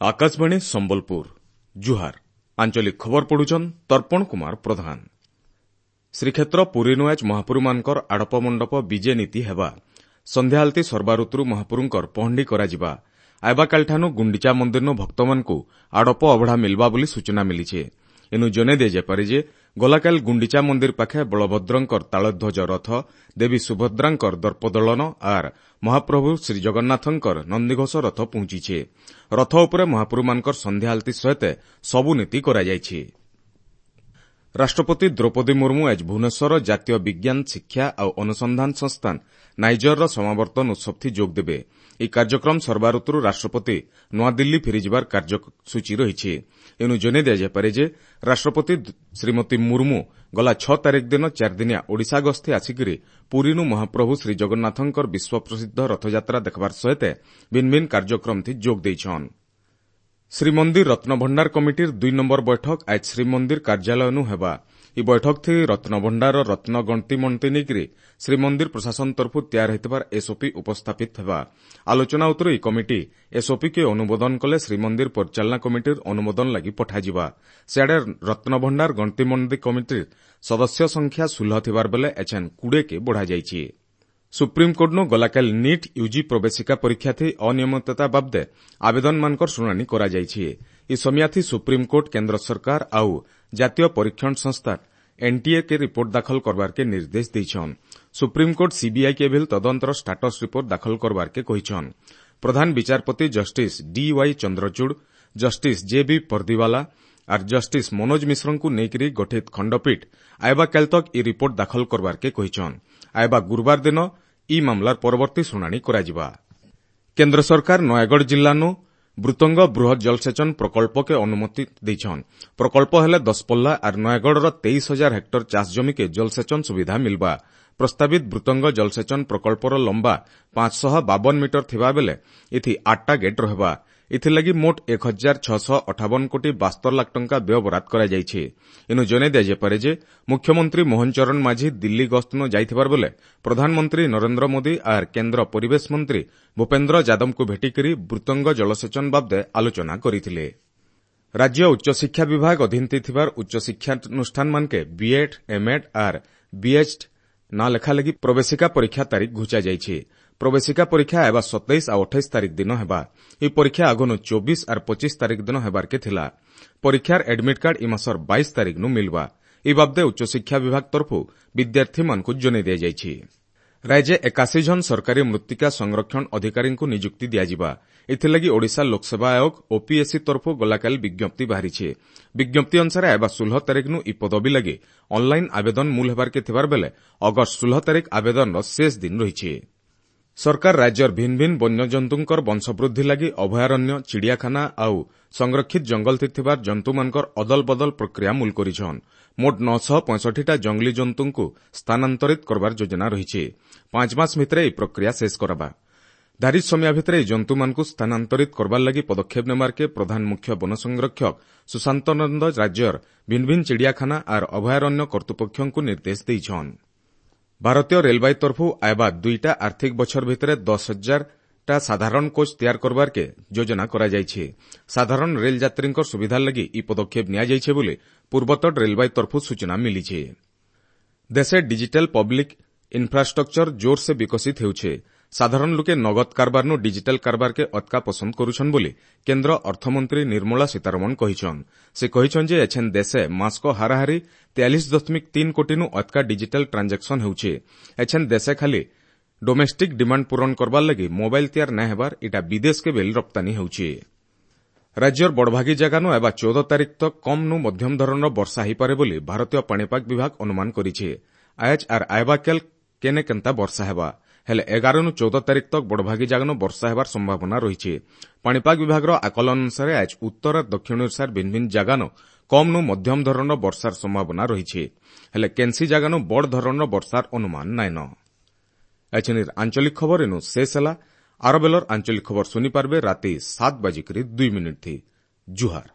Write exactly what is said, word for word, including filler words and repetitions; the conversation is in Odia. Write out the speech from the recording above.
ଆକାଶବାଣୀ ସମ୍ବଲପୁର ଜୁହାର ଆଞ୍ଚଳିକ ଖବର ପଢୁଛନ୍ ତର୍ପଣ କୁମାର ପ୍ରଧାନ ଶ୍ରୀକ୍ଷେତ୍ର ପୁରୀନୁ ଆଜ୍ ମହାପ୍ରଭୁମାନଙ୍କର ଆଡ଼ପ ମଣ୍ଡପ ବିଜେ ନୀତି ହେବା ସନ୍ଧ୍ୟା ଆଳତି ସର୍ବାଋତୁରୁ ମହାପ୍ରଭୁଙ୍କର ପହଣ୍ଡି କରାଯିବା ଆଇବାକାଲିଠାନୁ ଗୁଣ୍ଡିଚା ମନ୍ଦିରନୁ ଭକ୍ତମାନଙ୍କୁ ଆଡ଼ପ ଅବଢ଼ା ମିଲ୍ବା ବୋଲି ସୂଚନା ମିଳିଛି ଏନୁ ଜଣେଇ ଦିଆଯାଇପାରେ ଯେ ଗଲାକାଲି ଗୁଣ୍ଡିଚା ମନ୍ଦିର ପାଖେ ବଳଭଦ୍ରଙ୍କର ତାଳଧ୍ୱଜ ରଥ ଦେବୀ ସୁଭଦ୍ରାଙ୍କର ଦର୍ପଦଳନ ଆର୍ ମହାପ୍ରଭୁ ଶ୍ରୀଜଗନ୍ନାଥଙ୍କର ନନ୍ଦିଘୋଷ ରଥ ପହଞ୍ଚିଛି ରଥ ଉପରେ ମହାପ୍ରଭୁମାନଙ୍କର ସନ୍ଧ୍ୟା ଆଳତି ସହିତ ସବୁ ନୀତି କରାଯାଇଛି ରାଷ୍ଟ୍ରପତି ଦ୍ରୌପଦୀ ମୁର୍ମୁ ଆଜି ଭୁବନେଶ୍ୱର ଜାତୀୟ ବିଜ୍ଞାନ ଶିକ୍ଷା ଆଉ ଅନୁସନ୍ଧାନ ସଂସ୍ଥାନ ନାଇଜରର ସମାବର୍ତ୍ତନ ଉତ୍ସବଥି ଯୋଗଦେବେ ଏହି କାର୍ଯ୍ୟକ୍ରମ ସର୍ବାଋତୁରୁ ରାଷ୍ଟ୍ରପତି ନୂଆଦିଲ୍ଲୀ ଫେରିଯିବାର କାର୍ଯ୍ୟସୂଚୀ ରହିଛି ଏଣୁ ଜଣାଇ ଦିଆଯାଇପାରେ ଯେ ରାଷ୍ଟ୍ରପତି ଶ୍ରୀମତୀ ମୁର୍ମୁ ଗଲା ଛଅ ତାରିଖ ଦିନ ଚାରିଦିନିଆ ଓଡ଼ିଶା ଗସ୍ତି ଆସିକରି ପୁରୀନୁ ମହାପ୍ରଭୁ ଶ୍ରୀଜଗନ୍ନାଥଙ୍କର ବିଶ୍ୱପ୍ରସିଦ୍ଧ ରଥଯାତ୍ରା ଦେଖବାର ସହିତ ଭିନ୍ନ ଭିନ୍ନ କାର୍ଯ୍ୟକ୍ରମଥି ଯୋଗ ଦେଇଛନ୍ ଶ୍ରୀମନ୍ଦିର ରତ୍ନଭଣ୍ଡାର କମିଟିର ଦୁଇ ନମ୍ବର ବୈଠକ ଆଜ୍ ଶ୍ରୀମନ୍ଦିର କାର୍ଯ୍ୟାଳୟନୁ ହେବା ଇ ବୈଠକଥି ରତ୍ନଭଣ୍ଡାରର ରତ୍ନ ଗଣତି ମଣତି ନେଇକରି ଶ୍ରୀମନ୍ଦିର ପ୍ରଶାସନ ତରଫରୁ ତିଆର ହୋଇଥିବାର ଏସ୍ଓପି ଉପସ୍ଥାପିତ ହେବା ଆଲୋଚନା ଉତ୍ତରୁ ଇ କମିଟି ଏସ୍ଓପିକେ ଅନୁମୋଦନ କଲେ ଶ୍ରୀମନ୍ଦିର ପରିଚାଳନା କମିଟିର ଅନୁମୋଦନ ଲାଗି ପଠାଯିବା ସିଆଡ଼େ ରତ୍ନଭଣ୍ଡାର ଗଣତି ମଣତି କମିଟିର ସଦସ୍ୟ ସଂଖ୍ୟା ଷୋହଳ ଥିବାର ବେଲେ ଏଛେନ୍ କୁଡ଼େକେ ବଢ଼ାଯାଇଛି ସୁପ୍ରିମକୋର୍ଟନୁ ଗଲାକାଲି ନିଟ୍ ୟୁଜି ପ୍ରବେଶିକା ପରୀକ୍ଷାଥି ଅନିୟମିତତା ବାବଦେ ଆବେଦନମାନଙ୍କର ଶୁଣାଣି କରାଯାଇଛି ଇ ସମିୟାଥି ସୁପ୍ରିମକୋର୍ଟ କେନ୍ଦ୍ର ସରକାର ଆଉ ଜାତୀୟ ପରୀକ୍ଷଣ ସଂସ୍ଥା ଏନ୍ଟିଏ କେ ରିପୋର୍ଟ ଦାଖଲ କରବାରକେ ନିର୍ଦ୍ଦେଶ ଦେଇଛନ୍ ସୁପ୍ରିମକୋର୍ଟ ସିବିଆଇ କେ ଭିଲ୍ ତଦନ୍ତର ଷ୍ଟାଟସ୍ ରିପୋର୍ଟ ଦାଖଲ କରବାରକେ କହିଛନ୍ ପ୍ରଧାନ ବିଚାରପତି justice D Y Chandrachud justice J B Pardiwala ଆର୍ ଜଷ୍ଟିସ୍ ମନୋଜ ମିଶ୍ରଙ୍କୁ ନେଇକରି ଗଠିତ ଖଣ୍ଡପୀଠ ଆଇବା କାଲି ତକ୍ ଇ ରିପୋର୍ଟ ଦାଖଲ କରବାରକେ କହିଛନ୍ ଆଇବା ଗୁରୁବାର ଦିନ ଇ ମାମଲାର ପରବର୍ତ୍ତୀ ଶୁଣାଣି କରାଯିବା କେନ୍ଦ୍ର ସରକାର ନୟାଗଡ଼ ଜିଲ୍ଲାନୁ ବୃତଙ୍ଗ ବୃହତ୍ ଜଳସେଚନ ପ୍ରକଳ୍ପକେ ଅନୁମତି ଦେଇଛନ୍ ପ୍ରକଳ୍ପ ହେଲେ ଦଶପଲ୍ଲା ଆର୍ ନୟାଗଡ଼ର ତେଇଶ ହଜାର ହେକ୍ଟର ଚାଷ ଜମିକେ ଜଳସେଚନ ସୁବିଧା ମିଲ୍ବା ପ୍ରସ୍ତାବିତ ବୃତଙ୍ଗ ଜଳସେଚନ ପ୍ରକଳ୍ପର ଲମ୍ବା ପାଞ୍ଚଶହ ବାବନ ମିଟର ଥିବାବେଳେ ଏଥି ଆଠଟା ଗେଟ୍ ରହିବା ଏଥିଲାଗି ମୋଟ ଏକ ହଜାର ଛଅଶହ ଅଠାବନ କୋଟି ବାସ୍ତର ଲାଖ ଟଙ୍କା ବ୍ୟୟବରାଦ କରାଯାଇଛି ଏନୁ ଜଣାଇ ଦିଆଯାଇପାରେ ଯେ ମୁଖ୍ୟମନ୍ତ୍ରୀ ମୋହନ ଚରଣ ମାଝୀ ଦିଲ୍ଲୀ ଗସ୍ତନ ଯାଇଥିବାର ବେଲେ ପ୍ରଧାନମନ୍ତ୍ରୀ ନରେନ୍ଦ୍ର ମୋଦି ଆର୍ କେନ୍ଦ୍ର ପରିବେଶ ମନ୍ତ୍ରୀ ଭୂପେନ୍ଦ୍ର ଯାଦବଙ୍କୁ ଭେଟିକରି ବୃତଙ୍ଗ ଜଳସେଚନ ବାବଦେ ଆଲୋଚନା କରିଥିଲେ ରାଜ୍ୟ ଉଚ୍ଚଶିକ୍ଷା ବିଭାଗ ଅଧୀନରେ ଥିବାର ଉଚ୍ଚଶିକ୍ଷାନୁଷ୍ଠାନମାନକେ ବିଏଡ୍ ଏମ୍ଏଡ୍ ଆର୍ ବିଏଚ୍ ନାଁ ଲେଖା ଲାଗି ପ୍ରବେଶିକା ପରୀକ୍ଷା ତାରିଖ ଘୁଞ୍ଚାଯାଇଛି ପ୍ରବେଶିକା ପରୀକ୍ଷା ହେବା ସତେଇଶ ଆଉ ଅଠେଇଶ ତାରିଖ ଦିନ ହେବା ଏହି ପରୀକ୍ଷା ଆଗନୁ ଚବିଶ ଆର୍ ପଚିଶ ତାରିଖ ଦିନ ହେବାରକେ ଥିଲା ପରୀକ୍ଷାର ଆଡମିଟ୍ କାର୍ଡ ଇ ମାସର ବାଇଶ ତାରିଖନୁ ମିଲବା ଏ ବାବଦେ ଉଚ୍ଚଶିକ୍ଷା ବିଭାଗ ତରଫରୁ ବିଦ୍ୟାର୍ଥୀମାନଙ୍କୁ ଜଣାଇ ଦିଆଯାଇଛି ରାଜ୍ୟ ଏକାଶୀ ଜଣ ସରକାରୀ ମୃତ୍ତିକା ସଂରକ୍ଷଣ ଅଧିକାରୀଙ୍କୁ ନିଯୁକ୍ତି ଦିଆଯିବା ଏଥିଲାଗି ଓଡ଼ିଶା ଲୋକସେବା ଆୟୋଗ ଓପିଏସ୍ସି ତରଫରୁ ଗଲାକାଲି ବିଜ୍ଞପ୍ତି ବାହାରିଛି ବିଜ୍ଞପ୍ତି ଅନୁସାରେ ଆଇବା ଷୋହଳ ତାରିଖନୁ ଇ ପଦବୀ ଲାଗି ଅନ୍ଲାଇନ୍ ଆବେଦନ ମୂଲ ହେବାରକେ ଥିବାର ବେଲେ ଅଗଷ୍ଟ ଷୋହଳ ତାରିଖ ଆବେଦନର ଶେଷ ଦିନ ରହିଛି ସରକାର ରାଜ୍ୟର ଭିନ୍ନ ଭିନ୍ନ ବନ୍ୟଜନ୍ତୁଙ୍କର ବଂଶବୃଦ୍ଧି ଲାଗି ଅଭୟାରଣ୍ୟ ଚିଡ଼ିଆଖାନା ଆଉ ସଂରକ୍ଷିତ ଜଙ୍ଗଲଥି ଥିବାର ଜନ୍ତୁମାନଙ୍କର ଅଦଲ ବଦଲ ପ୍ରକ୍ରିୟା ମୂଲ କରିଛନ୍ ମୋଟ ନଅଶହ ପଞ୍ଚଷଠିଟା ଜଙ୍ଗଲୀ ଜନ୍ତୁଙ୍କୁ ସ୍ଥାନାନ୍ତରିତ କରବାର ଯୋଜନା ରହିଛି ପାଞ୍ଚ ମାସ ଭିତରେ ଏହି ପ୍ରକ୍ରିୟା ଶେଷ କରାବା ଧାରି ସମୟ ଭିତରେ ଏହି ଜନ୍ତୁମାନଙ୍କୁ ସ୍ଥାନାନ୍ତରିତ କରବାର ଲାଗି ପଦକ୍ଷେପ ନେବାରକେ ପ୍ରଧାନ ମୁଖ୍ୟ ବନ ସଂରକ୍ଷକ ସୁଶାନ୍ତ ନନ୍ଦ ରାଜ୍ୟର ଭିନ୍ନ ଭିନ୍ନ ଚିଡ଼ିଆଖାନା ଆର୍ ଅଭୟାରଣ୍ୟ କର୍ତ୍ତୃପକ୍ଷଙ୍କୁ ନିର୍ଦ୍ଦେଶ ଦେଇଛନ୍ ଭାରତୀୟ ରେଳବାଇ ତରଫରୁ ଆଇବା ଦୁଇଟା ଆର୍ଥିକ ବଛର ଭିତରେ ଦଶ ହଜାରଟା ସାଧାରଣ କୋଚ୍ ତିଆର କରବାରକେ ଯୋଜନା କରାଯାଇଛି ସାଧାରଣ ରେଳ ଯାତ୍ରୀଙ୍କ ସୁବିଧା ଲାଗି ଇ ପଦକ୍ଷେପ ନିଆଯାଇଛି ବୋଲି ପୂର୍ବତଟ ରେଳବାଇ ତରଫରୁ ସୂଚନା ମିଳିଛି ଦେଶେ ଡିଜିଟାଲ ପବ୍ଲିକ ଇନ୍ଫ୍ରାଷ୍ଟ୍ରକ୍ଚର ଜୋରସେ ବିକଶିତ ହେଉଛି ସାଧାରଣ ଲୋକେ ନଗଦ କାରବାରନୁ ଡିଜିଟାଲ କାରବାରକେ ଅତକା ପସନ୍ଦ କରୁଛନ୍ ବୋଲି କେନ୍ଦ୍ର ଅର୍ଥମନ୍ତ୍ରୀ ନିର୍ମଳା ସୀତାରମଣ କହିଛନ୍ ସେ କହିଛନ୍ ଯେ ଏଛେନ୍ ଦେଶେ ମାସକ ହାରାହାରି ତେୟାଳିଶ ଦଶମିକ ତିନି କୋଟିନୁ ଅତକା ଡିଜିଟାଲ ଟ୍ରାଞ୍ଜାକ୍ସନ ହେଉଛି ଏଛେନ୍ ଦେଶେ ଖାଲି ଡୋମେଷ୍ଟିକ୍ ଡିମାଣ୍ଡ ପୂରଣ କରବାର ଲାଗି ମୋବାଇଲ ତିଆର ନାଇଁ ହେବାର ଇଟା ବିଦେଶକେ ବେଲ୍ ରପ୍ତାନୀ ହେଉଛି ରାଜ୍ୟର ବଡ଼ଭାଗୀ ଜାଗାନୁ ଏବା ଚଉଦ ତାରିଖ ତକ୍ କମ୍ନୁ ମଧ୍ୟମ ଧରଣର ବର୍ଷା ହୋଇପାରେ ବୋଲି ଭାରତୀୟ ପାଣିପାଗ ବିଭାଗ ଅନୁମାନ କରିଛି ଆଏଜ୍ ଆର୍ ଆଏବାକେଲ୍ କେନେ କେନ୍ତା ବର୍ଷା ହେବା ହେଲେ ଏଗାରନୁ ଚଉଦ ତାରିଖ ତକ୍ ବଡ଼ଭାଗୀ ଜାଗାନୁ ବର୍ଷା ହେବାର ସମ୍ଭାବନା ରହିଛି ପାଣିପାଗ ବିଭାଗର ଆକଳନ ଅନୁସାରେ ଆଜ୍ ଉତ୍ତର ଦକ୍ଷିଣ ଓଡ଼ିଶାର ଭିନ୍ନ ଭିନ୍ନ ଜାଗାନୁ କମ୍ନୁ ମଧ୍ୟମ ଧରଣର ବର୍ଷାର ସମ୍ଭାବନା ରହିଛି ହେଲେ କେନ୍ସି ଜାଗାନୁ ବଡ଼ ଧରଣର ବର୍ଷାର ଅନୁମାନ ନାଇଁନ ଏଛେନିର ଆଞ୍ଚଳିକ ଖବର ଏନୁ ଶେଷ ହେଲା ଆର ବେଲର ଆଞ୍ଚଳିକ ଖବର ଶୁଣିପାରବେ ରାତି ସାତ ବାଜିକରି ଦୁଇ ମିନିଟ୍ ଥି ଜୁହାର